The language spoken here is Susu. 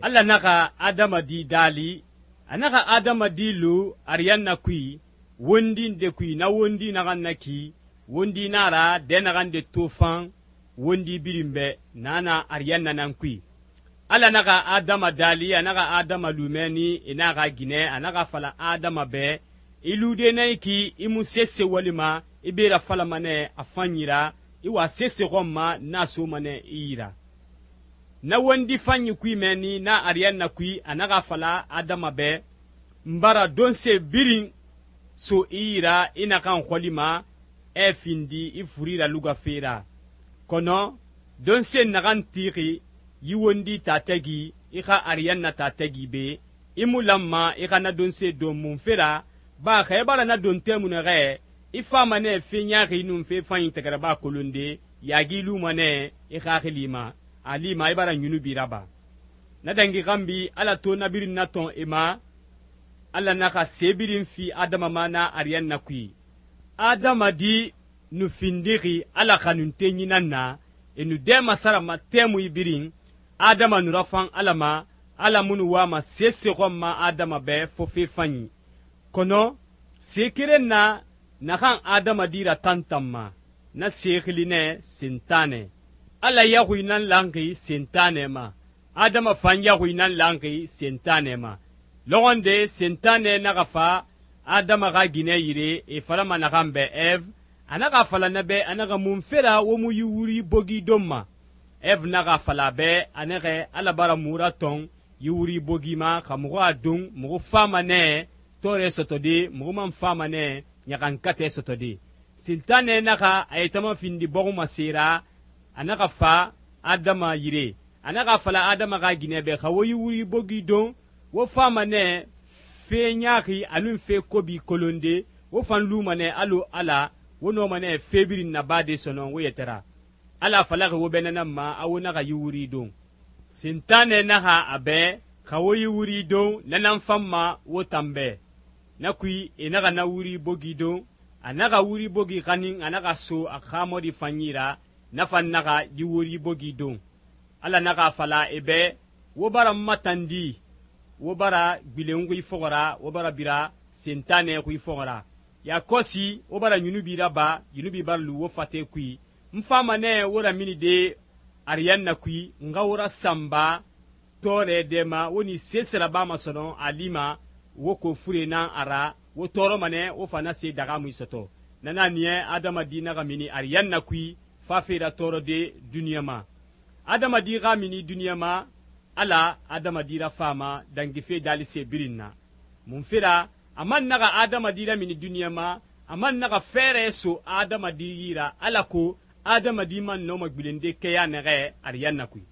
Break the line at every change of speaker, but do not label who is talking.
Ala naxa adamadi daali, a naxa adamadi lu ariyanna kui, wondi nde kui, na wondi naxan na ki, wondi na ra dɛ naxan de tofan wondi birin bɛ, na na ariyanna nan kui. Ala naxa adama daali, a naxa adama lumɛni i naxa ginɛ, a naxa fala adama bɛ, i lude na i ki, i mu sese walima, i be rafalama nɛ a fanyi ra, i wa sese xɔn ma, na soma nɛ i yi ra. Na wondi fanyi kui mɛni, na ariyanna kui, a naxa fala adama bɛ, n bara donse birin so i yi ra, i naxan xɔlima, ɛ findi i furi ralugafe ra. Kɔnɔ donse naxan tixi yi wondi tatɛgi, i xa ariyanna tatɛgi be, i mu lanma i xa na donse don munfe ra, ba xa i bara na don tɛmu nɛxɛ, i fama nɛ fe ɲaxi nun fe fanyi tɛgɛrɛba kolonde, yagi luma nɛ i xaxili ma, a lima i bara ɲunubi raba. Na dangi xanbi Ala to na birin natɔn i ma, Ala naxa se birin fi adama ma na ariyanna kui. Adamadi nu findixi Ala xanuntenyi nan na, e nu dɛ masarama tɛmuyi birin, adama nu rafan Ala ma, Ala mu nu wama sese xɔn ma adama bɛ fo fe fanyi. Kɔnɔ se keren na naxan adamadi ratantanma, na se xili nɛ Sentanɛ. Ala yaxuyi nan lanxi Sentanɛ ma, adama fan yaxuyi nan lanxi Sentanɛ ma. Lɔxɔnde Sentanɛ naxa fa adama xa ginɛ yire e falama naxan bɛ Eve, a naxa fala na bɛ a naxa munfe ra wo mu yi wuri bogi don ma. Eve naxa fala bɛ a naxɛ Ala bara mu ratɔn yi wuri bogi ma xa muxu a don muxu fama nɛ tɔɔrɛ sɔtɔde, muxu man fama nɛ ɲaxankatɛ sɔtɔde. Sentanɛ naxa a yetama findi bɔxuma sera, a naxa fa adama yire, a naxa fala adama xa ginɛ bɛ xa wo yi wuri bogi don, wo fama nɛ fe ɲaxi anun fe kobi kolonde, wo fan luma nɛ alo Ala, wo nɔma nɛ fe birin nabade sɔnɔn wo yɛtɛra. Ala falaxi wo bɛnɛnan ma a wo naxa yi wuri don. Sentanɛ naxa a bɛ xa wo yi wuri don nanan fan ma wo tanbɛ. Na kui e naxa na wuri bogi don, a naxa wuri bogi xanin a naxa so a xa mɔdi fanyi ra, na fan naxa yi wuri bogi don. Ala naxa fala e bɛ, wo bara matandi, wo bara gbilen xui fɔxɔra, wo bara bira Sentanɛ xui fɔxɔra. Ya kɔsi wo bara ɲunubi raba, ɲunubi bara lu wo fate kui. N fama nɛ wo ramini de ariyanna kui, n xa wo rasanba tɔɔrɛ dɛma, wo ni sese rabama sɔnɔ a lima, wo ko fure nan a ra, wo tɔɔrɔma nɛ wo fana se daga mu sɔtɔ. Nana niɛ adamadi naxa mini ariyanna kui, fafe ra tɔɔrɔde duniɲa ma. Adamadi xa mini duniɲa ma, Ala adamadi ra fama dangife dalise birin na. Munfe ra, a man naxa adamadi ra mini duniɲa ma, a man naxa fɛɛrɛ so adamadi yira, Ala ko adamadi man nɔma gbilende kɛya nɛxɛ ariyanna kui.